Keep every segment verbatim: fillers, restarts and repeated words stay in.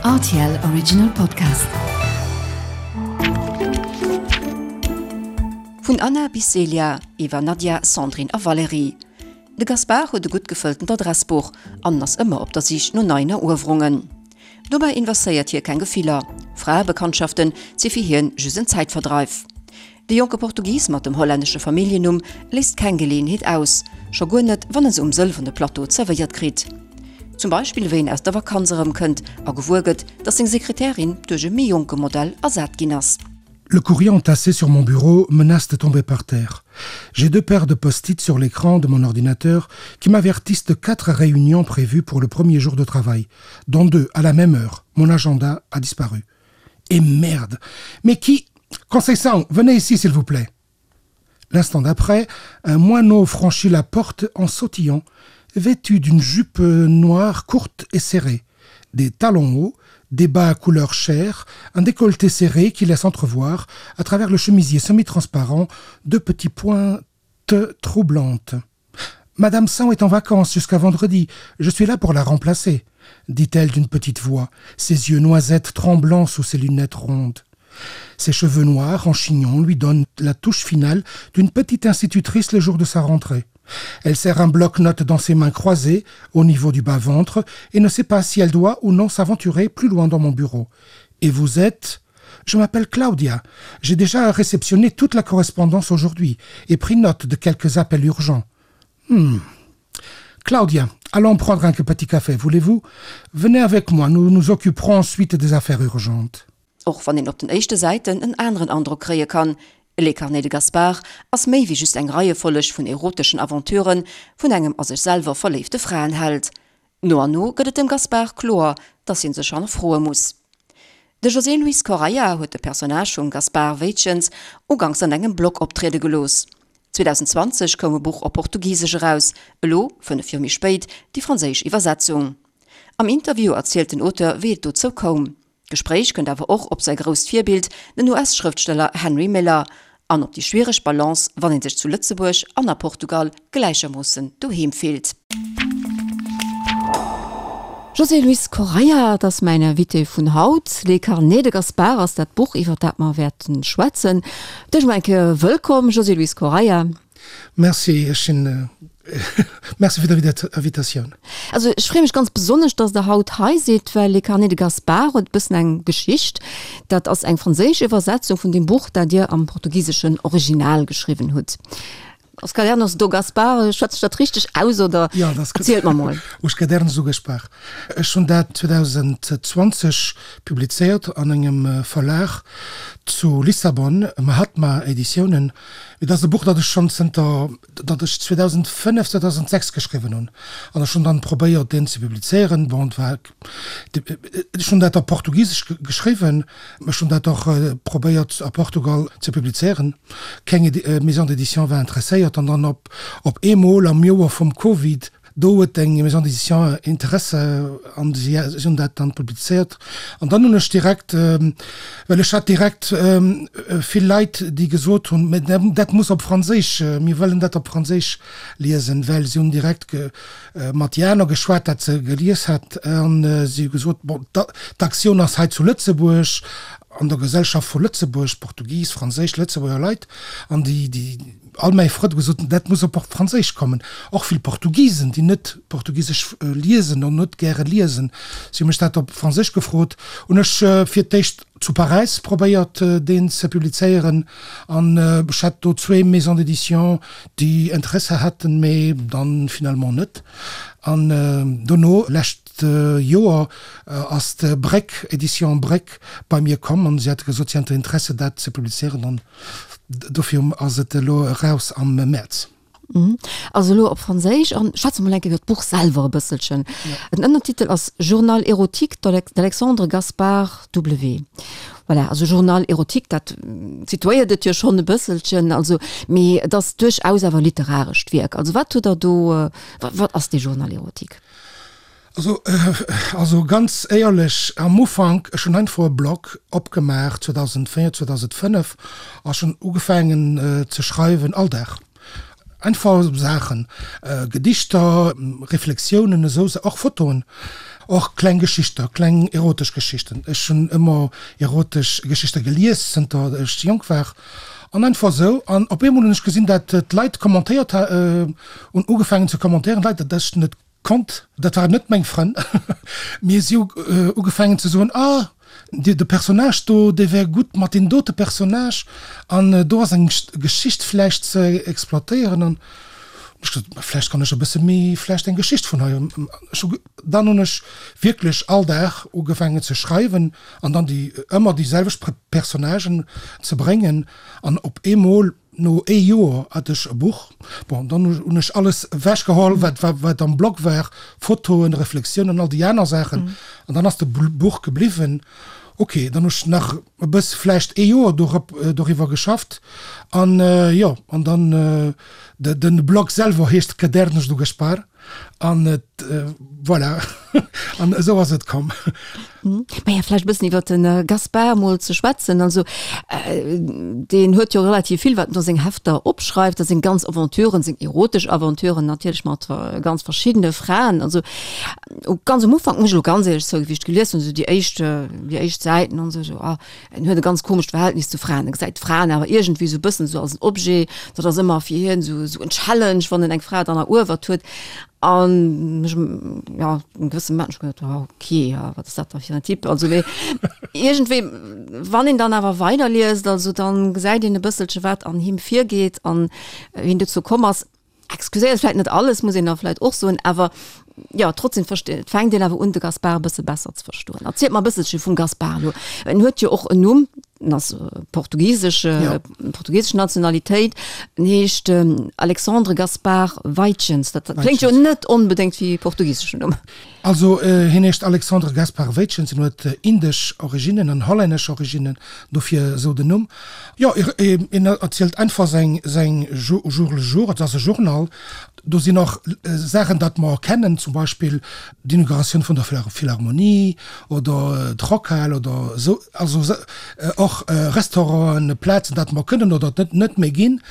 R T L Original Podcast. Vun Anna bis Célia, iwwer Nadia, Sandrine a Valérie. De Gaspard huet e gutt gefëlltent Adressbuch an ass ëmmer op der Sich no neien Eruewerungen. Dobäi investéiert hie keng Gefiller, Fraebekanntschaften si fir hien just en Zäitverdreif. De jonke Portugis mat dem hollännesche Familljennumm léisst keng Geleeënheet aus, scho guer net, wann e se um sëlwerne Plateau zerwéiert kritt. Zum Beispill wéi en aus der Vakanz erëmkënnt a gewuer gëtt, datt seng Sekretärin duerch e méi jonke Modell ersat ginn ass. Le courrier entassé sur mon bureau menace de tomber par terre. J'ai deux paires de post-it sur l'écran de mon ordinateur qui m'avertissent de quatre réunions prévues pour le premier jour de travail, dont deux à la même heure. Mon agenda a disparu. Et merde! Mais qui... Conceição, venez ici s'il vous plaît. L'instant d'après, un moineau franchit la porte en sautillant, vêtu d'une jupe noire courte et serrée, des talons hauts, des bas à couleur chair, un décolleté serré qui laisse entrevoir, à travers le chemisier semi-transparent, deux petits pointes troublantes. Madame Sang est en vacances jusqu'à vendredi, je suis là pour la remplacer, dit-elle d'une petite voix, ses yeux noisettes tremblant sous ses lunettes rondes. Ses cheveux noirs en chignon lui donnent la touche finale d'une petite institutrice le jour de sa rentrée. Elle serre un bloc-notes dans ses mains croisées au niveau du bas-ventre et ne sait pas si elle doit ou non s'aventurer plus loin dans mon bureau. Et vous êtes Je m'appelle Claudia. J'ai déjà réceptionné toute la correspondance aujourd'hui et pris note de quelques appels urgents. Hmm. Claudia, allons prendre un petit café, voulez-vous? Venez avec moi, nous nous occuperons ensuite des affaires urgentes. Och wann een op den éischte Säiten en aneren Androck kréie kann, Les Carnets de Gaspard ass méi wéi just eng Reiefolleg vun eroteschen Aventuren vun engem a sech selwer verléifte Fraenheld. No an no gëtt et dem Gaspard kloer, dass hien sech hannerfroe muss. De José Luis Correia huet de Personnage vum Gaspard Weytjens uganks an engem Blog optriede gelooss. zweedausendzwanzeg koum e Buch op Portugisesch eraus, elo, fënnef Joer méi spéit, déi franséisch Iwwersetzung. Am Interview erzielt den Auteur, wéi et dozou koum. D'Gespréich kënnt awer och op säi grousst Virbild, den U S-Schrëftsteller Henry Miller, an op déi schwiereg Balance, wann ee sech zu Lëtzebuerg an a Portugal gläichermoossen doheem fillt. José Luis Correia, et ass mäin Invité vun haut. Les Carnets de Gaspard ass dat Buch, iwwer dat mer wäerten schwätzen. Dech mol eng Kéier wëllkomm, José Luis Correia. Merci, ech sinn Merci fir d'Invitatioun. Also ech freeë mech ganz besonnesch, dass Der haut hei sidd, well Les Carnets de Gaspard huet e bëssen eng Geschicht. Dat ass eng franséisch Iwwersetzung vun deem Buch, dat Dir am portugiseschen Original geschriwwen hutt. Os Cadernos do Gaspar, schwätze ech dat richteg aus oder? Jo, dat ass gutt. Erzielt mer mol. Os Cadernos do Gaspar. Ech hunn dat zweedausendzwanzeg publizéiert an engem Verlag zu Lissabon, Mahatma Editiounen. Et ass e Buch, dat ech schonn zënter datt ech zweedausendfënnef, zweedausendsechs geschriwwen hunn. An ech hunn dann probéiert, deen ze publizéieren. Bon, et war, ech hunn dat op Portugisesch geschriwwen. Ech hunn dat och probéiert a Portugal ze publizéieren. Keng Maison d'édition war interesséiert. An dann op op eemol am Joer vum Covid, Do huet eng Maison d'édition Interesse an si hunn dat dann publizéiert. An dann hunn ech direkt, well ech hat direkt vill Leit, déi gesot hunn, mä dat muss op Franséisch, mir wëllen dat op Franséisch liesen, well si hunn direkt mat déi aner geschwat, dat se gelies hat, an si hu gesot, bon, d'Aktioun ass hei zu Lëtzebuerg, an der Gesellschaft vu Lëtzebuerg, Portugis, Franséisch, Lëtzebuerger Leit, an déi, déi all mäi Frënn hu gesot, dat muss op Franséisch kommen. Och vill Portugisen, déi net Portugisesch liesen an net gäre liesen, si hu mech dat op Franséisch gefrot. Hunn ech fir d'éischt zu Paräis probéiert, deen ze publizéieren, an ech hat do zwee Maisons d'édition, déi Interesse haten, mee dann finalement net. An dono, lescht Joer ass d'Bréck, Editions Bréck, bei mir komm an si hate gesot, si hätten Interesse dat ze publizéieren an dofir ass et elo eraus am Mäerz. Also elo op Franséisch an schwätze mol eng Kéier iwwer d'Buch selwer e bësselchen. Den Ënnertitel ass Journal érotique d'Alexandre Gaspard W. Voilà, also Journal érotique, dat situéiert et jo schonn e bësselchen, also mee et ass duerchaus awer e literarescht Wierk. Also wat hutt Der do, wat ass dee Journal érotique? Also, also ganz éierlech, am Ufank, ech hunn einfach e Blog opgemaach zweedausenddvéier, zweedausenfënnef a ech hunn ugefaangen ze schreiwen, all Dag. Einfach Saachen, Gedichter, Reflexiounen, esou, och Fotoen. Och kleng Geschichter, kleng erotesch Geschichten. Ech hunn ëmmer erotesch Geschichte gelies, zënter ech jonk war. An einfach esou. An op eemol hunn ech gesinn, dat d'Leit kommentéiert hunn, ugefaangen ze kommentéieren, Leit, dat ech net konnt, dat waren net meng Frënn, mee si hu ugefaangen ze soen, ah, de Personnage do, dee wär gutt mat deem dote Personnage an do ass eng Geschicht vläicht ze exploitéieren. An ech gesot, ma vläicht kann ech e bësse méi vläicht eng Geschicht vun hei. Ech hu, dann hunn ech wierklech all Dag ugefaangen ze schreiwen an dann déi ëmmer déi selwecht Personnagen ze bréngen an op eemol no ee Joer hat ech e Buch. Bon, dann hunn ech alles ewechgeholl, wat wat am Blog war, Fotoen, Reflexiounen, all déi aner Saachen an dann ass de Buch gebliwwen. Ok, dann hu ech nach e bëss vläicht ee Joer dorop doriwwer geschafft an jo, an dann de Blog selwer heescht Cadernos do Gaspar an et voilà an esou ass et komm. Maja, vläicht e bëssen iwwer de Gaspar emol ze schwätzen. Also deen huet jo relativ vill, wat en do seng Hefter opschreift, a seng ganz Aventuren, seng erotesch Aventuren natierlech mat ganz verschiddene Fraen. Also ganz um Ufank, muss ech elo ganz éierlech zouginn, wéi ech gelies hunn, esou déi éischt, déi éischt Säiten an esou, esou, ah, en huet e ganz komescht Verhältnis zu Fraen. E gesäit d'Fraen awer iergendwéi esou e bëssen esou als en Objet. Dat ass ëmmer fir hien esou, esou en Challenge, wann en eng Fra dann eruewert huet. An ech, ja, en gewësse Moment hunn ech geduet, ah, okay, ja, wat ass dat da fir en Typ? Also, mee iergendwéi, wann een dann awer weiderliest, also dann gesäit een e bësselche wat an him virgeet an wéi en dozou komm ass. Excuséiert vläit net alles, muss een da vläit och soen, awer jo, trotzdem verste fänkt een awer un, de Gaspar e bësse besser ze verstoen. Erzielt mer e bësselche vum Gaspar elo. En huet jo och en Numm, en ass portugisesch, ja. portugisesch Nationalitéit, en heescht Alexandre Gaspar Weitjens. Dat kléngt jo net onbedéngt wéi e portugiseschen Numm. Also hien heescht Alexandre Gaspar Weitjens, en huet indesch Originnen an hollännesch Originnen, dofir esou den Numm. Jo, en erzielt einfach säin säin Jour le jour, et ass e Journal. Do sinn och Saachen, dat mer kennen, zum Beispill d'Inauguratioun vun der Philharmonie oder d'Rockhal oder esou, also och Restauranten, Plazen, dat mer kënnen oder net net méi ginn.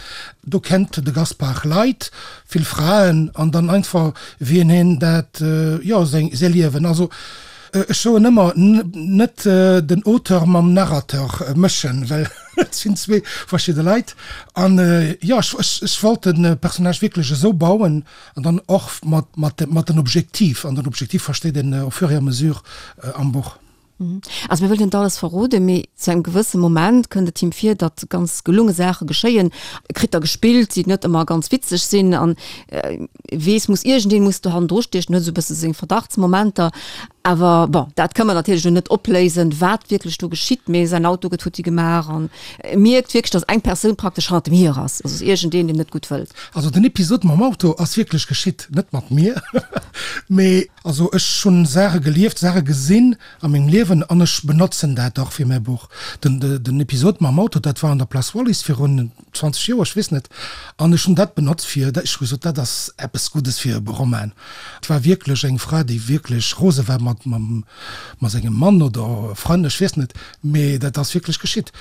Do kennt de Gaspard Leit, vill Fraen an dann einfach wien hien dat, jo, seng säi Liewen. Also ech soen ëmmer, net den Auteur mam Narrateur mëschen, well et sinn zwee verschidde Leit. An jo, ech ech wollt de Personnage wierklech esou bauen an dann och mat mat mat den Objektiv. An den Objektiv versteet een au fur et à mesure am Buch. Also mir wëllen net alles verroden, mee zu engem gewësse Moment kënnt et him vir, datt ganz gelunge Saache geschéien. E kritt der gespillt, déi net ëmmer ganz witzeg sinn an e weess, muss iergendeen muss do hannendru stiechen, huet esou e bësse seng Verdachtsmomenter. Awer bon, dat ka mer natierlech elo net opléisen, wat wierklech do geschitt, mee säin Auto gëtt futti gemaach an e mierkt wierklech, datt eng Persoun praktesch hannert em hier ass, also iergendeen, deen net gutt wëllt. Also den Episod mam Auto ass wierklech geschitt, net mat mir, mee also ech hunn Saache gelieft, Saache gesinn, A mengem Liewen, an ech benotzen dat och fir mäi Buch. Den, den Episod mam Auto, dat war an der Place Wallis virun zwanzeg Joer, ech weess net, an ech hunn dat benotzt fir, ech hu gesot, dat ass eppes Guddes fir e Roman. Et war wierklech eng Fra, déi wierklech rose war mat, mam, mat sengem Mann oder Frënn, ech weess net, mee dat ass wierklech geschitt.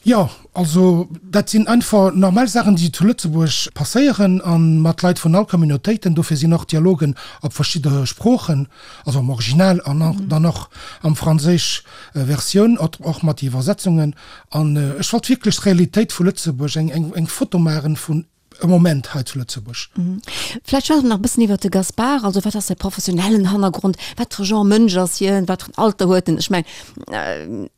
Jo, also dat sinn einfach normal Saachen, déi zu Lëtzebuerg passéieren a mat Leit vun all Communautéiten. Dofir sinn och Dialogen op verschidde Sproochen, also am Original an dann och am franséisch Versioun, och mat Iwwersetzungen. An ech wollt wierklech d'Realitéit vu Lëtzebuerg, eng Foto maachen vun e Moment hei zu Lëtzebuerg. Vläicht schwätze mer nach e bëssen iwwert de Gaspard. Also wat ass säi professionellen Hannergrond? Wat fir e Genre Mënsch ass hien? Wat fir en Alter huet en? Ech mengen,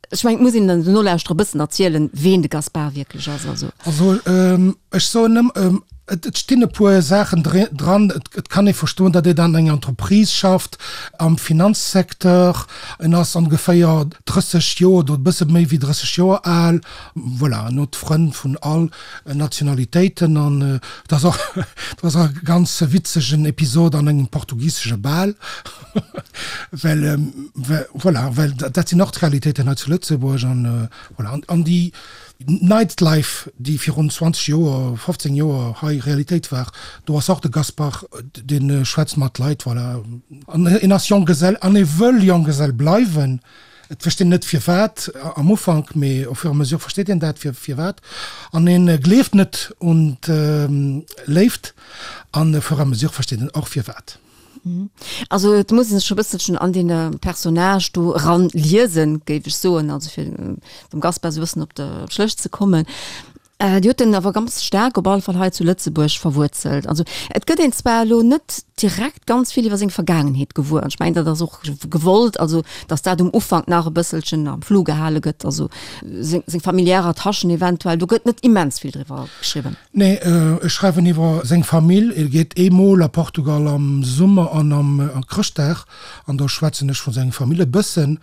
ech mengen, et muss een den Nolauschterer e bëssen erzielen, ween de Gaspard wierklech ass. Also. Also ech soen ëm, et stinn e puer Saachen dran. Et kann ee verstoen, datt een an enger Entreprise schafft, am Finanzsecteur. En ass ongeféier drësseg Joer oder e bësse méi wéi drësseg Joer al. Voilà, en huet Frënn vun all Nationalitéiten an et ass och et ass och e ganz witzegen Episod an engem portugisesche Bal, well voilà, well dat sinn och d'Realitéiten hei zu Lëtzebuerg an voilà. An déi Nightlife, déi virun zwanzeg Joer, fofzéng Joer hei Realitéit war, do ass och de Gaspard, dee schwätzt mat Leit, voilà. An en ass Jonggesell an e wëll Jonggesell bleiwen. Et versteet een net firwat am Ufank, mee au fur et à mesure versteet een dat firwat. An een gleeft net un d'Léift an au fur et à mesure versteet een och firwat. Also et muss een sech scho bësselchen an dee Personnage do eran liesen, géif ech soen, also fir dem Gaspar esou e bëssen op de Schléch ze kommen. Dir hutt en awer ganz staark op alle Fall hei zu Lëtzebuerg verwuerzelt. Also et gëtt een zwar elo net direkt ganz vill iwwer seng Vergaangenheet gewuer, an ech mengen dat ass och gewollt, also datt dat um Ufank nach e bësselchen am Flou gehale gëtt, also seng seng familiär Attachen eventuell, do gëtt net immens vill driwwer geschriwwen. Nee, ech schreiwen iwwer seng Famill. E geet eemol a Portugal am Summer an am Chrëschtdag, an do schwätzen ech vu seng Famill e bëssen.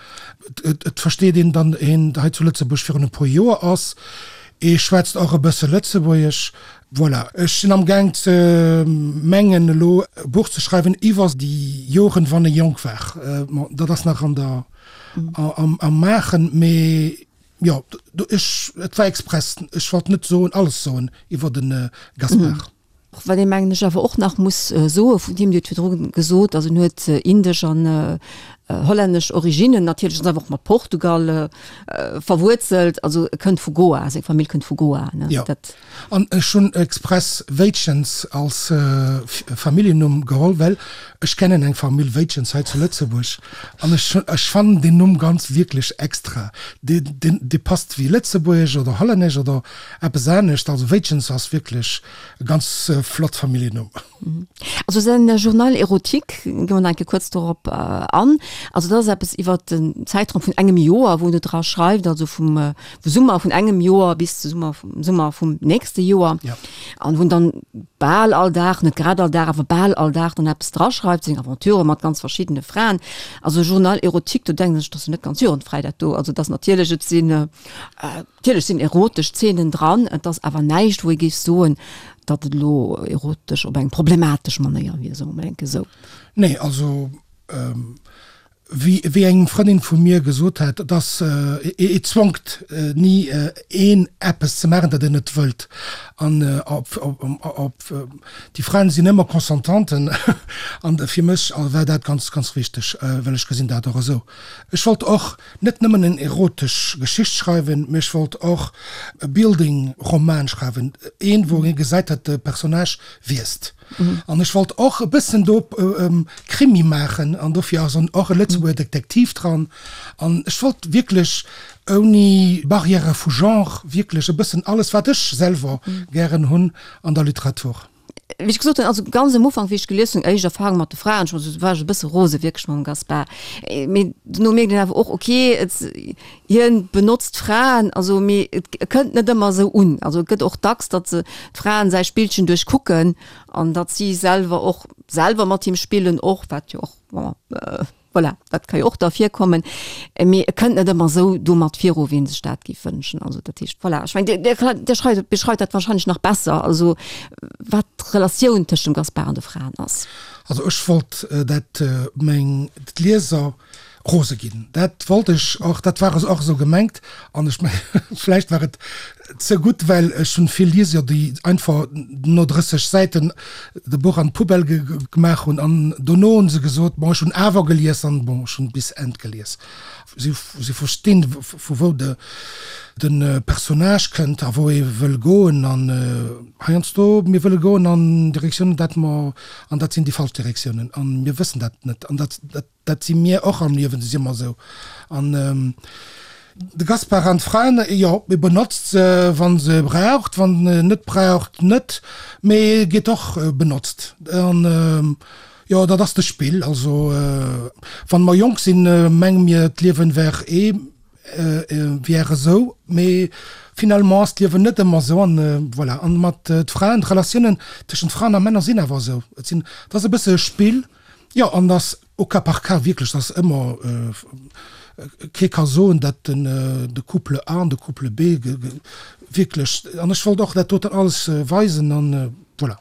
Et versteet een, datt hien hei zu Lëtzebuerg virun e puer Joer ass. E schwätzt och e bësse Lëtzebuergesch. Voilà, ech sinn am Gaang ze mengen elo e Buch ze schreiwen iwwer déi Joren, wann e jonk war. Bon, dat ass nach an der, am, am Maachen, mee jo, ech, et war express, ech wollt net soen, alles soen iwwer de Gaspard. Wat ee mengen ech awer och nach muss soe vun him, Dir hutt virdru gesot, also en huet indesch an hollännesch Originnen, natierlech ass awer och mat Portugal verwuerzelt, also e kënnt vu Goa, seng Famill kënnt vu Goa, ne? Jo, an ech hunn express Weytjens als Familljennumm geholl, well ech kennen eng Famill Weytjens hei zu Lëtzebuerg an ech ech fannen deen Numm ganz wierklech extra, dee dee passt wéi lëtzebuergesch oder hollännesch oder eppes anescht, also Weytjens ass wierklech e ganz flott Familljennumm. Also säin Journal érotique, gi mer nach eng Kéier kuerz dorop an. Also dat ass eppes iwwer den Zäitraum vun engem Joer, wou en do dra schreift, also vum Summer vun engem Joer bis zu Summer vum Summer vum nächste Joer. An wou en dann bal all Dag, net grad all Dag, awer bal all Dag dann eppes draschreift, seng Aventurë mat ganz verschiddene Fraen. Also Journal érotique, do denkt een sech, dat ass jo net ganz jugendfräi dat do. Also et ass natierlech, et sinn, natierlech sinn erotesch Zeenen dran, et ass awer näischt, wou ee géif soen, datt et elo erotesch op eng problematesch Manéier wier, soe mer mol enke sou. Nee, also wéi wéi eng Frëndin vu mir gesot hat, et ass, et zwongt ni een eppes ze maachen, dat en net wëllt. An op op déi Fraen sinn ëmmer Consentanten an fir mech war dat ganz ganz wichteg, well ech gesinn dat och esou. Ech wollt och net nëmmen en erotesch Geschicht schreiwen, mee ech wollt och e Building-Roman schreiwen, een, wou ee gesäit, datt de Personnage wiisst. An ech wollt och e bëssen do Krimi maachen, an dofir ass och e Lëtzebuerger Detektiv dran. An ech wollt wierklech ouni Barrièrë vu Genre wierklech e bëssen alles, wat ech selwer gären hunn an der Literatur. Wéi ech gesot hunn, also ganz am Ufank, wéi ech gelies hunn, éischt Erfahrung mat de Fraen, ech war war ech e bësse rose wierklech mam Gaspar. Mee dono mierkt een awer och, ok, et, hien benotzt d'Fraen, also mee et kënnt net ëmmer esou un. Also et gëtt och dacks, datt se d'Fraen säi Spillchen duerchkucken an datt si selwer och selwer mat him spillen och, wat jo och, bon, Voilà, dat ka jo och da virkommen, mee e kënnt net ëmmer esou domat viru, wéi ee sech dat géif wënschen. Also dat heescht, voilà, ech mengen, Dir, Dir schreift, beschreift dat wahrscheinlech nach besser, also wat d'Relatioun tëscht dem Gaspar an de Fraen ass. Also ech wollt dat meng d'Lieser rose ginn. Dat wollt ech och, dat war och esou gemengt an ech mengen, vläicht war et ze gutt, well ech hunn vill Lieser, déi einfach no drësseg Säiten de Buch an d'Poubelle gemaach hunn an dono hunn se gesot, bon ech hunn awer gelies an bon ech hunn bis Enn gelies. Si si verstinn vu wou de de Personnage kënnt a wou e wëll goen an heiansdo mir wëlle goen an Direktiounen dat mer an dat sinn déi falsch Direktiounen an mir wëssen dat net an dat dat dat si mir och am Liewen si mer esou an De Gaspar an d'Fraen, jo, e benotzt se, wa se braucht, wann en net braucht, net, mee e gétt och benotzt. An jo, dat ass de Spill. Also, wann mer jonk sinn, menge mir, d'Liewen wär ee, wär esou, mee finalement ass d'Liewen net ëmmer esou. An voilà, an mat d'Fraen, d'Relatiounen tëschent Fraen a Männer sinn awer esou. Et sinn, et ass e bësse e Spill, jo, an ass au cas par cas wierklech, et ass ëmmer, Kee ka soen, datt den de Couple A an de Couple B wierklech, an ech wollt och dat doten alles weisen an voilà.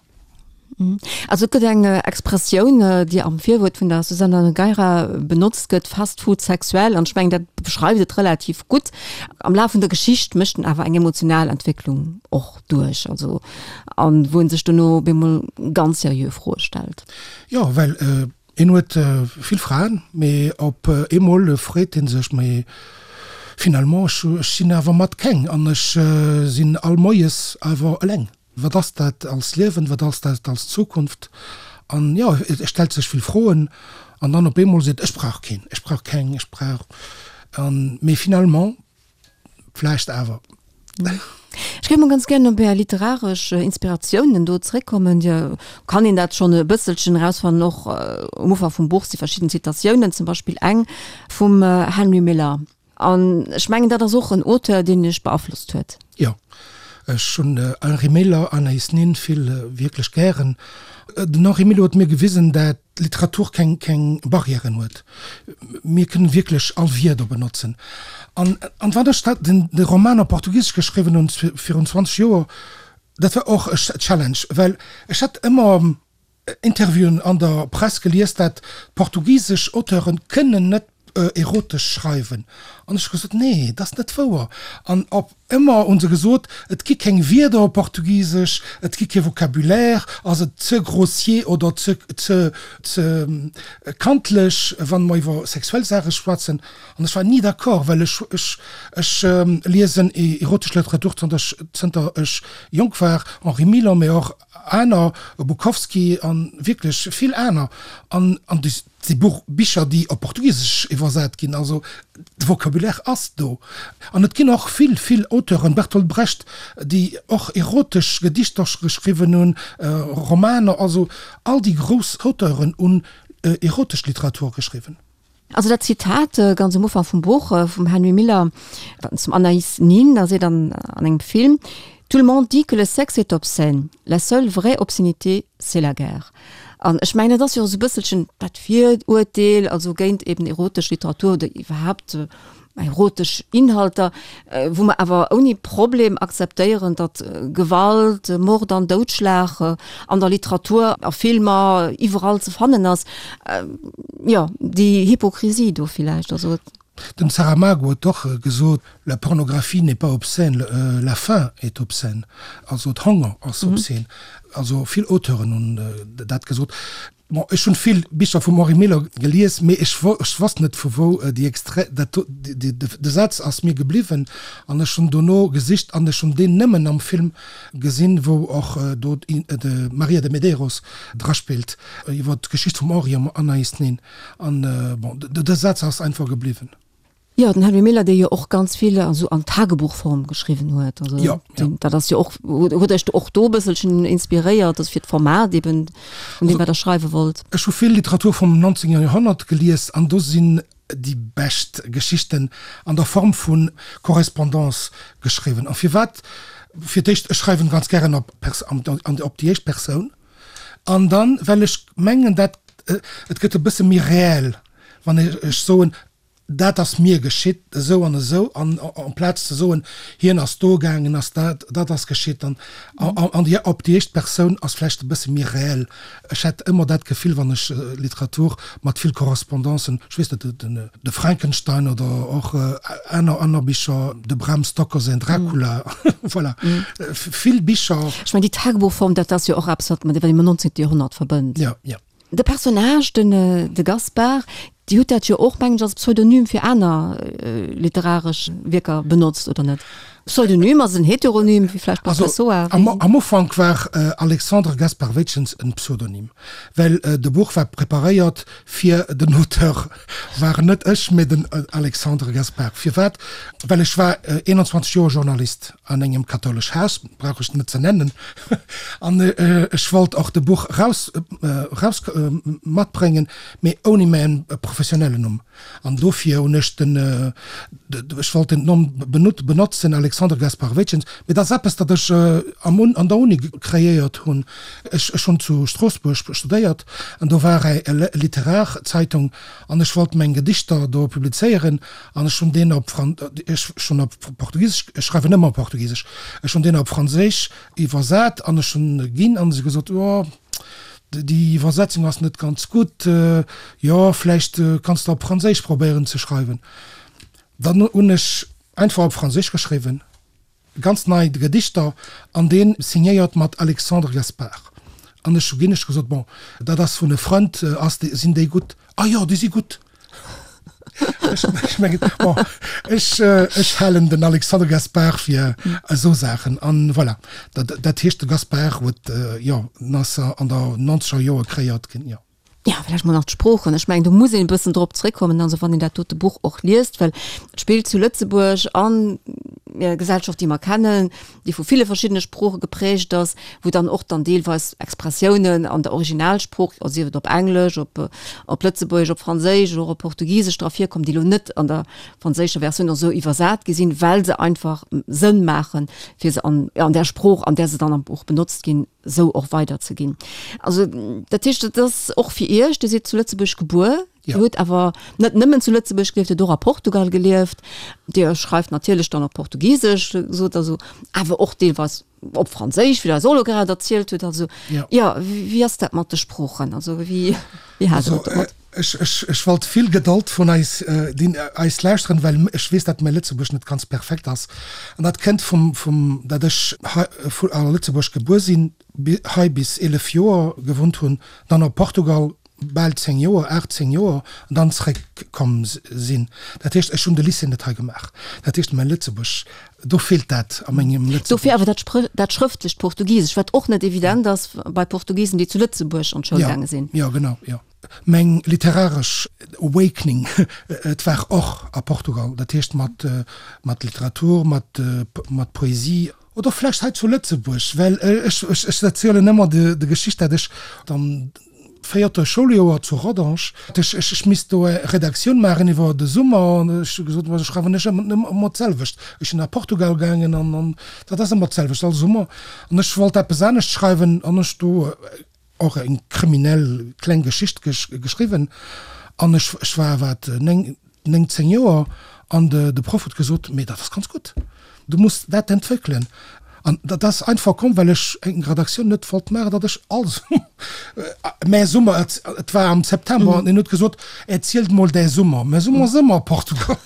Also et gëtt eng Expressioun, déi am Virwuert vun der Susana Nogueira benotzt gëtt, Fast Food sexuel, an ech mengen dat beschreift et relativ gutt. Am Laf vun der Geschicht mécht en awer eng emotional Entwécklung och duerch, also an wou en sech dono op eemol ganz seriö Froe stellt. Jo, well Hien huet vill Fraen, mee op eemol freet hie sech, Mee finalement, ech sinn awer mat keng an ech sinn all Moies awer eleng. Wat ass dat als Liewen, wat ass dat als Zukunft? An jo, e stellt sech vill Froen an dann op eemol seet, ech brauch keen, ech brauch keng, ech brauch an, mee finalement vläicht awer. Ech géif mol ganz gären op Är literaresch Inspiratiounen do zréckkommen. Dir kann een dat schonn e bësselchen erausfannen, och um Ufank vum Buch si verschidden Zitatiounen, zum Beispill eng vum Henry Miller. An ech mengen, dat ass och en Auteur, deen Iech beaflosst huet. Jo, ech hunn Henri Miller, Anaïs Nin vill wierklech gären. Den Henri Miller huet mir gewisen, dat Literatur keng keng Barrièren huet. Mir kënnen wierklech all Wierder benotzen. An an wann ech dat den de Roman op Portugisesch geschriwwen hunn virun zwanzeg Joer, dat war och e Challenge, well ech hat ëmmer Interviewen an der Press gelies, dat portugisesch Auteuren kënnen net erotesch schreiwen. An ech hu gesot, nee, dat ass net wouer. An op ëmmer hu se gesot, et gi keng Wierder op Portugisesch, et gi kee Vocabulaire, ass et ze grossier oder ze ze ze kantlech, wann mer iwwer sexuell Saache schwätzen. An ech war ni d'accord, well ech ech ech liesen erotesch Literatur zënter ech zënter ech jonk war, Henri Miller, mee och aner, Bukowski an wierklech vill aner. An an déi si Buch Bicher, déi op Portugisesch iwwersat ginn. Also de Vocabulaire ass do. An et ginn och vill, vill Auteuren, Bertolt Brecht, déi och erotesch Gedichter geschriwwen hunn, Romaner. Also all déi grouss Auteuren hunn erotesch Literatur geschriwwen. Also dat Zitat ganz um Ufank vum Buch vum Henry Miller zum Anaïs Nin, da seet an an engem Film, Tout le monde dit que le sexe est obscène. La seule vraie obscénité, c'est la guerre. An ech mengen, dat ass jo esou e bësselchen dat Virurteel, also géint eben erotesch Literatur oder iwwerhaapt erotesch Inhalter, wou mer awer ouni Problem akzeptéieren, datt Gewalt, Mord an Doudschlag an der Literatur, a Filmer, iwwerall ze fannen ass. Jo, déi Hypokrisie do villäicht, also. Den Saramago huet och gesot, La pornographie n'est pas obscène, la faim est obscène. Also d'Honger ass obscène. Also vill Auteuren hunn dat gesot. Bon, ech hunn vill Bicher vum Henri Miller gelies, mee ech wosst net vu wou déi Extrait, dat do, de Saz ass mir gebliwwen an ech hunn dono gesicht an ech hunn deen nëmmen am Film gesinn, wou och do d'Maria de Medeiros draspillt, iwwer d'Geschicht vum Henri an Anaïs Nin. An bon, de Saz ass einfach gebliwwen. Jo, den Henry Miller, dee jo och ganz vill esou an Tagebuchform geschriwwen huet. Also ja, ja. Dat ass jo och, huet Iech och do e bësselchen inspiréiert, also fir d'Format eben, vun deem wat Der schreiwe wollt? Ech hu vill Literatur vum neunzehnten Joerhonnert gelies an do sinn déi bescht Geschichten an der Form vu Correspondance geschriwwen. A firwat? Fir d'éischt, ech schreiwen ganz gären op op déi éischt Persoun an dann, well ech mengen, dat et gëtt e bësse méi réel, wann ech soen, Dat ass mir geschitt esou an esou, an amplaz ze soen, hien ass do gaangen, ass dat, dat ass geschitt, an an déi op déi éischt Persoun ass vläicht e bësse méi réel. Ech hätt ëmmer dat Gefill, wann ech Literatur mat vill Correspondancen, ech weess net, den de Frankenstein oder och aner aner Bicher, de Bram Stoker säin Dracula, voilà, vill Bicher. Ech mengen, déi Tagebuchform, dat ass jo och eppes, wat mat dem neunzehnten Joerhonnert verbënnt. Jo, jo. De Personnage, den de Gaspard, Dir hutt dat jo och, mengen ech, als Pseudonym fir aner literaresch Wierker benotzt, oder net? Pseudonym ass en Heteronym, wéi vläicht bei Pessoa. Also am Ufank war Alexandre Gaspard Weytjens en Pseudonym, well de Buch war preparéiert fir den Auteur war net ech, mee den Alexandre Gaspard. Firwat? Well ech war eenanzwanzeg Joer Journalist an engem kathoulesch Haus, brauch ech net ze nennen, an ech wollt och de Buch raus raus matbréngen, mee ouni mäin professionellen Numm. An dofir hunn ech den, ech wollt den Numm benotzen, Alexandre Gaspard Weytjens, mee dat ass eppes, dat ech am an der Uni kreéiert hunn. Ech ech hunn zu Stroossbuerg studéiert an do war e Literarzeitung an ech wollt meng Gedichter do publizéieren an ech hunn deen op Fran, ech hunn op Portugisesch, ech schreiwen ëmmer op Portugisesch, ech hunn deen op Franséisch iwwersat an ech hunn ginn an se gesot, jo, Déi Iwwersetzung ass net ganz gutt. Jo, vläicht kanns de op Franséisch probéieren ze schreiwen. Dann hunn ech einfach op Franséisch geschriwwen, ganz nei Gedichter, an dee signéiert mat Alexandre Gaspard. An ech hu ginn ech gesot, bon, dat ass vun e Frënd, ass, sinn déi gutt? Ah jo, déi si gutt. Ech mengen, bon, ech, ech halen den Alexandre Gaspar fir esou Saachen. An voilà, dat, dat heescht, de Gaspar huet, jo, en ass an der nonzeger Joer kreéiert ginn, jo. Jo, vläicht mol nach d'Sproochen. Ech mengen, do muss een e bëssen drop zréckkommen, also wann een dat dote Buch och liest, well et spillt zu Lëtzebuerg an der Gesellschaft, déi mer kennen, déi vu ville verschiddene Sprooche geprägt ass, wou dann och dann deelweis Expressiounen an der Originalsprooch, also sief et op Englesch, op op Lëtzebuergesch, op Franséisch oder och op Portugisesch dra virkommen, déi elo net an der franséischer Versioun esou iwwersat gi sinn, well se einfach Sënn maachen, fir se an, an där Sprooch, an där se dann am Buch benotzt ginn, esou och weiderzeginn. Also dat heescht, et ass och fir Iech, Dir sidd zu Lëtzebuerg gebuer, Dir hutt awer net nëmmen zu Lëtzebuerg gelieft, Dir hutt och a Portugal gelieft, Dir schreift natierlech dann op Portugisesch, sot Der esou, awer och deelweis op Franséisch, wéi Der eis och elo grad erzielt hutt. Also jo, wéi ass dat mat de Sproochen? Also wéi hat Der et domat? Ech, ech, ech wollt vill Gedold vun eis, déi eis lauschteren, well ech weess, dat mäi Lëtzebuergesch net ganz perfekt ass. An dat kënnt vum, vum, dat ech hei vu a Lëtzebuerg gebuer sinn, hei bis eelef Joer gewunnt hunn, dann a Portugal bal zéng Joer, aacht, zéng Joer, an dann zréck komm sinn. Dat heescht, ech hunn de Lycée net hei gemaach. Dat heescht, mäi Lëtzebuergesch, do feelt dat a mengem Lëtzebuergesch. Dofir awer dat Sprë, dat schrëftlecht Portugisesch, wat och net evident ass bei Portugisen, déi zu Lëtzebuerg an d'Schoul gaange sinn. Jo, jo, genau, jo. Meng literaresch Awakening, et war och a Portugal, dat heescht mat mat Literatur, mat mat Poesie, oder vläicht hei zu Lëtzebuerg, well ech ech erzielen ëmmer de de Geschicht, dat ech am véierte Schouljoer zu Rodange, ech ech ech misst do e Redaktioun maachen iwwer de Summer, an ech hu gesot, ma ech schreiwen ech ëmmer ëmmer d'selwecht. Ech sinn a Portugal gaangen an an dat ass ëmmer d'selwecht all Summer, an ech wollt eppes anescht schreiwen an ech do och eng kriminell kleng Geschicht geschriwwen an ech ech war wat néng néng zéng Joer an de de Proff huet gesot, mee dat ass ganz gutt, du muss dat entwéckelen. An dat ass einfach komm, well ech eng Redaktioun net wollt maachen, datt ech all Summer, mä Summer, et et war am September an en huet gesot, erzielt mol däi Summer, mä Summer ass ëmmer Portugal.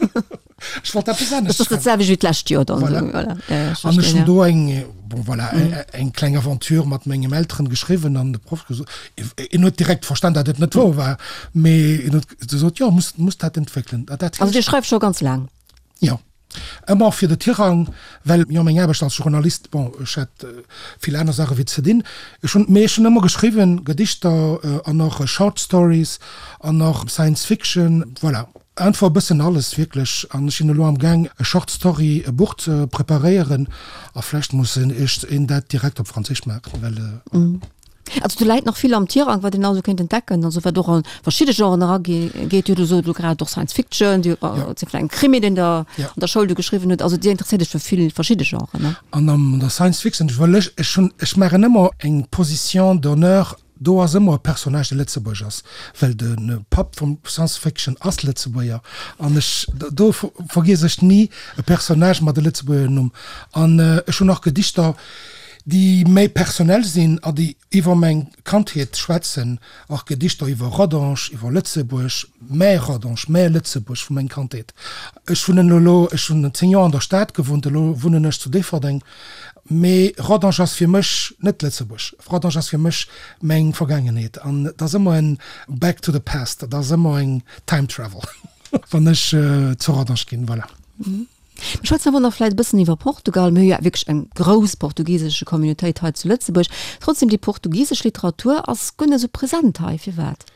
Ech wollt eppes anescht schreiwen. Dat ass dat selwecht wéi d'lescht Joer dann. Voilà. Voilà. Ja, ja, ech An ech verstinn, hunn ja. do eng, bon voilà, eng kleng Aventure mat mengem Elteren geschriwwen an de Proff gesot, en huet direkt verstan, datt et net wouer war, mee en huet gesot, jo, muss, muss dat entwéckelen. Dat Also heescht. Dir schreift scho ganz laang? Jo. Ëmmer fir de Tirang, well jo meng Aarbecht als Journalist, bon, ech hat vill aner Saache wéi ze dinn. Ech hunn, mee ech hunn ëmmer geschriwwen, Gedichter an och Short Stories an och Science Fiction, voilà. Einfach e bëssen alles wierklech. An ech sinn elo am Gaang e Short Story e Buch ze preparéieren a vläicht muss ech een dat direkt op Franséisch maachen, well. Also do läit nach vill am Tirang, wat een also kéint entdecken, also wat och a verschidde Genren erageet. Dir hutt elo sot grad och Science Fiction, Dir hutt vläicht en Krimi, deen Der an der Schoul do geschriwwen hutt. Also Dir interesséiert Iech fir vill verschidde Genren, ne? An an der Science Fiction, well ech, ech hunn, ech maachen ëmmer eng Position d'honneur, do ass ëmmer e Personnage, dee Lëtzebuerg ass, well de Papp vum Science Fiction ass Lëtzebuerger an ech, do vergiess ech ni e Personnage mat e Lëtzebuerger Numm. An ech hunn och Gedichter, déi méi personell sinn a déi iwwer meng Kandheet schwätzen, och Gedichter iwwer Rodange, iwwer Lëtzebuerg, mäi Rodange, mäi Lëtzebuerg vu meng Kandheet. Ech wunnen elo, ech hunn zéng Joer an der Stad gewunnt, elo wunnen ech zu Déifferdeng, mee Rodange ass fir mech net Lëtzebuerg, Rodange ass fir mech meng Vergaangenheet an et ass ëmmer en back to the past, et ass ëmmer eng time travel, wann ech zu Rodange ginn, voilà. Mir schwätzen awer nach vläicht e bëssen iwwer Portugal. Mir hu jo wierklech eng grouss portugisesche Communautéit hei zu Lëtzebuerg. Trotzdem, déi portugisesch Literatur ass guer net esou present hei. Firwat?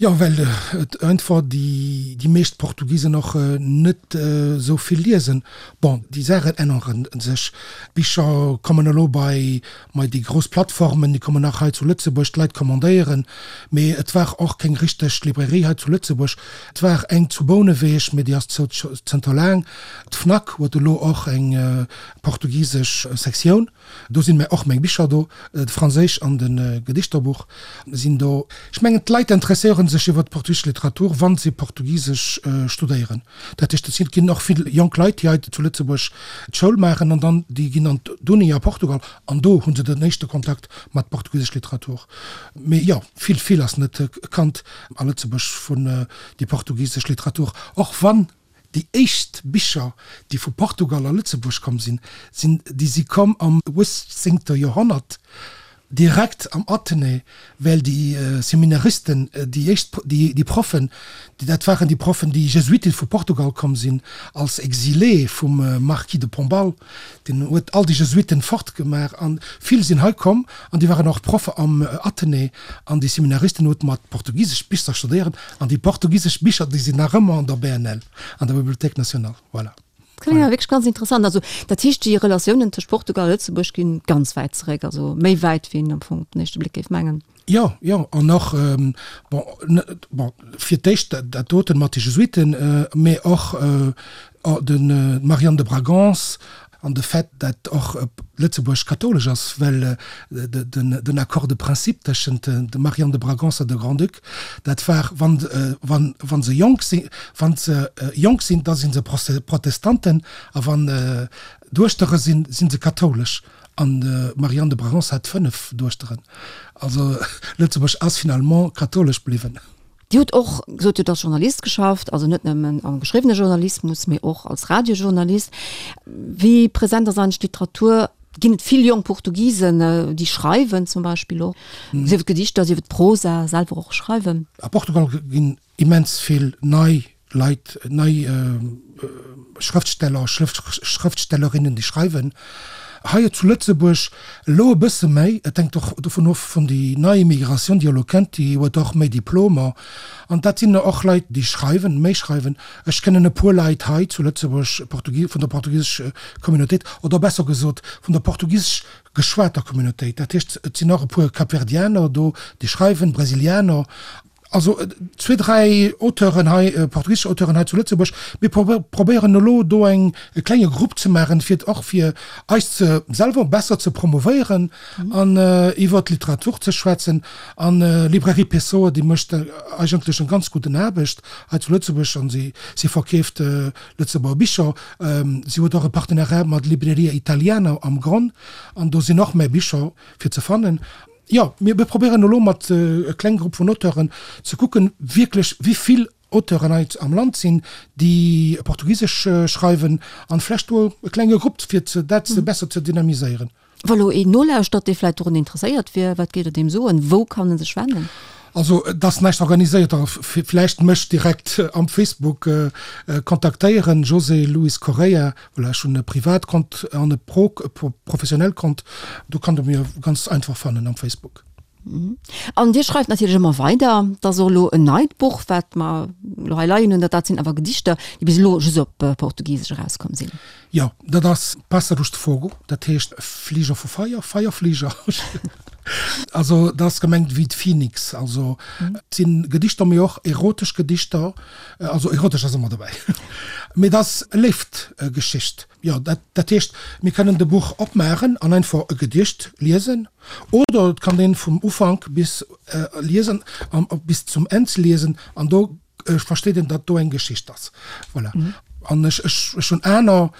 Jo, well et einfach déi déi meescht Portugisen och net esou vill liesen. Bon, déi Saachen ännere sech. D'Bicher kommen elo bei mei déi grouss Plattformen, déi kommen nach hei zu Lëtzebuerg, d'Leit commandéieren. Mee et war och keng richteg Librairie hei zu Lëtzebuerg. Et war eng zu Bouneweg, mee déi ass zou zënter laang. D'Fnac huet elo och eng portugisesch Sektioun. Do sinn och meng Bicher do, de franséisch an de Gedichterbuch sinn do. Ech mengen, d'Leit interesséiere sech iwwer d'portugisesch Literatur, wa se Portugisesch studéieren. Dat heescht, et ginn och vill jonk Leit, déi hei zu Lëtzebuerg d'Schoul maachen an dann déi ginn an d'Uni a Portugal an do hu se den éischte Kontakt mat portugisesch Literatur. Mee jo, vill, vill ass net kannt a Lëtzebuerg vun déi portugisesch Literatur, och wann déi éischt Bicher, déi vu Portugal a Lëtzebuerg komm sinn, sinn déi si komm am uechtzéngte Joerhonnert direkt am Athenée, well déi Seminaristen, déi éischt, déi Proffen, dat waren déi Proffen, déi Jesuiten vu Portugal komm sinn als Exilé vum Marquis de Pombal, deen huet all déi Jesuiten fortgemaach an vill sinn hei komm an déi waren och Proffe am Athenée an déi Seminaristen huet mat portugisesch Bicher studéieren an déi portugisesch Bicher, déi sinn nach ëmmer an der B N L, an der Bibliothèque nationale. Voilà. Dat kléngt awer wierklech ganz interessant. Also dat heescht, déi Relatiounen tëscht Portugal a Lëtzebuerg ginn ganz wäit zeréck, also méi wäit, wéi een am Fong op den éischte Bléck géif mengen. Jo, jo, an och, bon, bon, fir d'éischt dat doten mat de Jesuiten, mee och de Marianne de Bragance an de Fait, dat och Lëtzebuerg kathoulesch ass, well den Accord de principe tëschent dem Marianne de Bragance a de Grand-Duc, dat war, wann, wann, wann se jonk sinn, wann se jonk sinn, da si se Protestanten, a wann Duechtere sinn, si se kathoulesch. An d'Marianne de Bragance hat fënnef Duechteren. Also Lëtzebuerg ass finalement kathoulesch bliwwen. Dir hutt och gesot, Dir hutt als Journalist geschafft, also net nëmmen am geschriwwene Journalismus, mee och als Radiojournalist. Wéi present ass eigentlech d'Literatur? Ginn et vill jonk Portugisen, déi schreiwen zum Beispill och, sief et Gedichter, sief et Prosa, selwer och schreiwen? A Portugal ginn immens vill nei Leit, nei Schrëftsteller, Schrëftstellerinnen, déi schreiwen. Hei zu Lëtzebuerg elo e bësse méi, et hänkt och dovun of vun déi nei Immigratioun, déi elo kënnt, déi huet och méi Diplomer an dat sinn och Leit, déi schreiwen, méi schreiwen. Ech kennen e puer Leit hei zu Lëtzebuerg, Portugi-, vun der portugisesch Communautéit oder besser gesot vun der portugisesch geschwater Communautéit. Dat heescht, et sinn och e puer Kapverdianer do, déi schreiwen, Brasilianer. Also zwee, dräi Auteuren hei, portugisesch Auteuren hei zu Lëtzebuerg. Mir probéieren elo do eng, e klenge Grupp ze maachen, fir och fir eis ze selwer besser ze promouvéieren an iwwer d'Literatur ze schwätzen. An Librairie Pessoa, déi mécht eigentlech eng ganz gudden Aarbecht hei zu Lëtzebuerg an si, si verkeeft Lëtzebuerger Bicher. Si huet och e Partenariat mat Libreria Italiana am Gronn an do sinn och méi Bicher fir ze fannen. Jo, mir probéieren elo mat e kleng Grupp vun Auteuren ze kucken, wierklech wéi vill Auteuren hei am Land sinn, déi Portugisesch schreiwen, an vlächtt do e klenge Grupp, fir dat besser ze dynamiséieren. Wa lo een nolauschtert, dee vläicht dorun interesséiert wier, wat géif Der deem soen? Wou kann en sech wennen? Also et ass näischt organiséiert, vläicht mech direkt am Facebook kontaktéieren, José Luis Correia, voilà, ech hunn e Privatkont an e professionell Kont, do kann der mir ganz einfach fannen am Facebook. An Dir schreift natierlech ëmmer weider, et ass och elo en neit Buch, wat mer elo hei leien hunn, dat sinn awer Gedichter, déi bis elo just op Portugisesch erauskomm sinn. Jo, dat ass Pássaros de Fogo, dat heescht Fliger vu Feier, Feierfliger. Also dat ass gemengt wéi d'Phoenix. Also et sinn Gedichter, mee och erotesch Gedichter, also erotesch ass ëmmer dobäi, mee et ass e Léiftgeschicht. Jo, dat dat heescht, mir kënnen de Buch opmaachen an einfach e Gedicht liesen oder et kann een vum Ufank bis liesen, bis zum Enn liesen an do versteet een, datt do eng Geschicht ass. Voilà. An ech, ech, ech hunn aner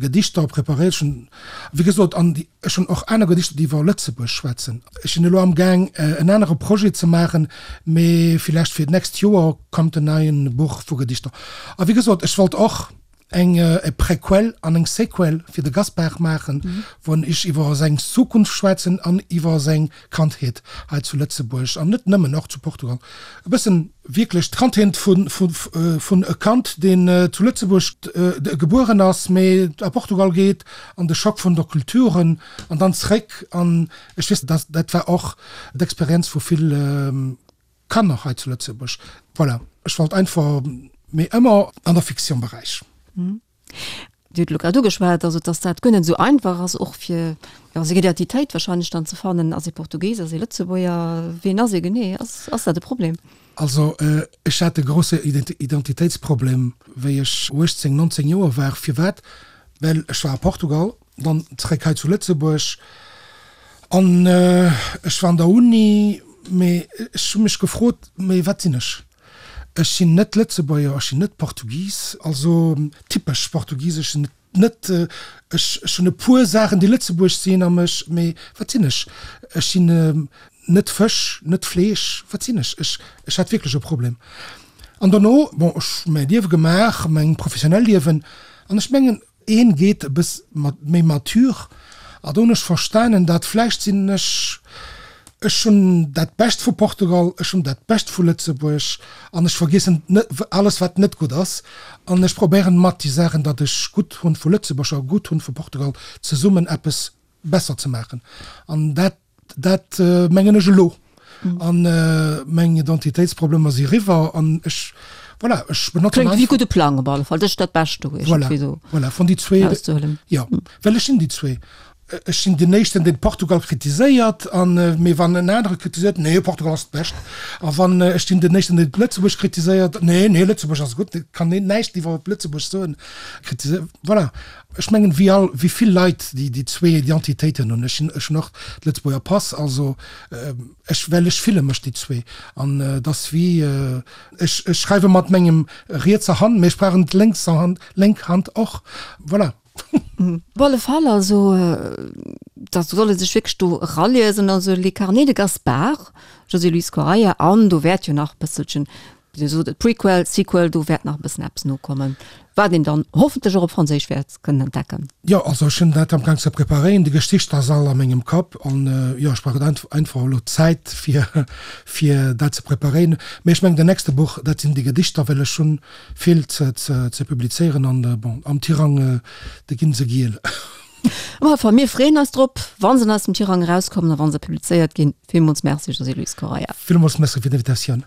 Gedichter preparéiert. Ech hunn, wéi gesot, an déi, ech hunn och aner Gedichter, déi iwwer Lëtzebuerg schwätzen. Ech sinn elo amgaang, en anere Projet ze maachen, mee villäicht fir d'nächst Joer kommt en neien Buch vu Gedichter. A wéi gesot, ech wollt och eng e Prequel an eng Sequel fir de Gaspard maachen, wou ech iwwer seng Zukunft schwätzen an iwwer seng Kandheet hei zu Lëtzebuerg an net nëmmen, och zu Portugal. E bëssen wierklech d'Kandheet vun vun e Kand, deen zu Lëtzebuerg gebueren ass, mee a Portugal geet an de Schock vun der Kulturen an dann zréck. An ech weess, dass dat war och d'Experienz vu vill Kanner hei zu Lëtzebuerg. Voilà, ech wollt einfach, mee ëmmer an der Fiction-Beräich. Dir hutt elo grad ugeschwat, also dass dat guer net esou einfach ass, och fir, jo, seng Identitéit wahrscheinlech dann ze fannen. Ass ee Portugis, ass ee Lëtzebuerger, wien ass ee genee? Ass, ass dat e Problem? Also ech hat e grosse Identitéitsproblem, wéi ech uechtzéng, nonzéng Joer war. Firwat? Well ech war a Portugal, dann zeréck hei zu Lëtzebuerg an ech war an der Uni, mee ech hu mech gefrot, mee wat sinn ech? Ech sinn net Lëtzebuerger, ech sinn net Portugis, also typesch portugisesch sinn net, ech ech hunn e puer Saachen, déi Lëtzebuerg sinn a mech, mee wat sinn ech? Ech sinn net Fësch, net Fleesch, wat sinn ech? Ech ech hat wierklech e Problem. An dono, bon, ech hu mäi Liewe gemaach, meng professionell Liewen, an ech mengen, een geet e bëss mat méi mature A do hunn ech verstanen, dat vläicht sinn ech, ech hunn dat Bescht vu Portugal, ech hunn dat Bescht vu Lëtzebuerg an ech vergiessen net alles wat net gutt ass an ech probéieren mat déi Saachen, dat ech gutt hunn vu Lëtzebuerg a gutt hunn vu Portugal, zesummen eppes besser ze maachen. An dat, dat mengen ech elo. An meng Identitéitsproblemer si riwwer an ech, voilà, ech benotzen Kléngt wéi e gudde Plang op alle Fall. Dat ass dat Bescht do iergendwéi esou Voilà, voilà, vun déi zwee, erauszehuelen. Jo, well ech sinn déi zwee. Ech sinn deen éischten, deen Portugal kritiséiert, an, mee wann en anere kritiséiert, nee, Portugal ass d'Bescht. A wann, ech sinn deen éischten, deen Lëtzebuerg kritiséiert, nee, nee, Lëtzebuerg ass gutt, et kann een näischt iwwer Lëtzebuerg soen, kritiséiert, voilà. Ech mengen, wéi all, wéi vill Leit, déi déi zwee Identitéiten hunn. Ech sinn, ech hunn och de Lëtzebuerger Pass, also ech, well ech fille mech déi zwee. An et ass wéi, ech, ech schreiwe mat mengem rietser Hand, mee ech brauchen d'lénkser Hand, lénk Hand och, voilà. Op alle Fall, also da soll e sech wierklech do eraliesen, also Les Carnets de Gaspard, José Luis Correia, an do wäert jo nach e bësselchen, wéi Dir sot, et Prequel, Sequel, do wäert nach e bëssen eppes nokommen, wat een dann hoffentlech och op Franséisch wäert kënnen entdecken. Jo, also ech hunn dat amgaang ze preparéieren, déi Geschicht ass all a mengem Kapp an jo, ech brauch einfach elo Zäit fir fir dat ze preparéieren. Mee ech mengen, den nächste Buch, dat sinn déi Gedichter, well ech hunn vill ze ze publizéieren an bon, am Tirang, do ginn se giel. Op alle Fall, mir freeën eis drop, wa se aus dem Tirang erauskommen a wa se publizéiert ginn. Villmools Merci, José Luis Correia. Villmools Merci fir d'Invitatioun.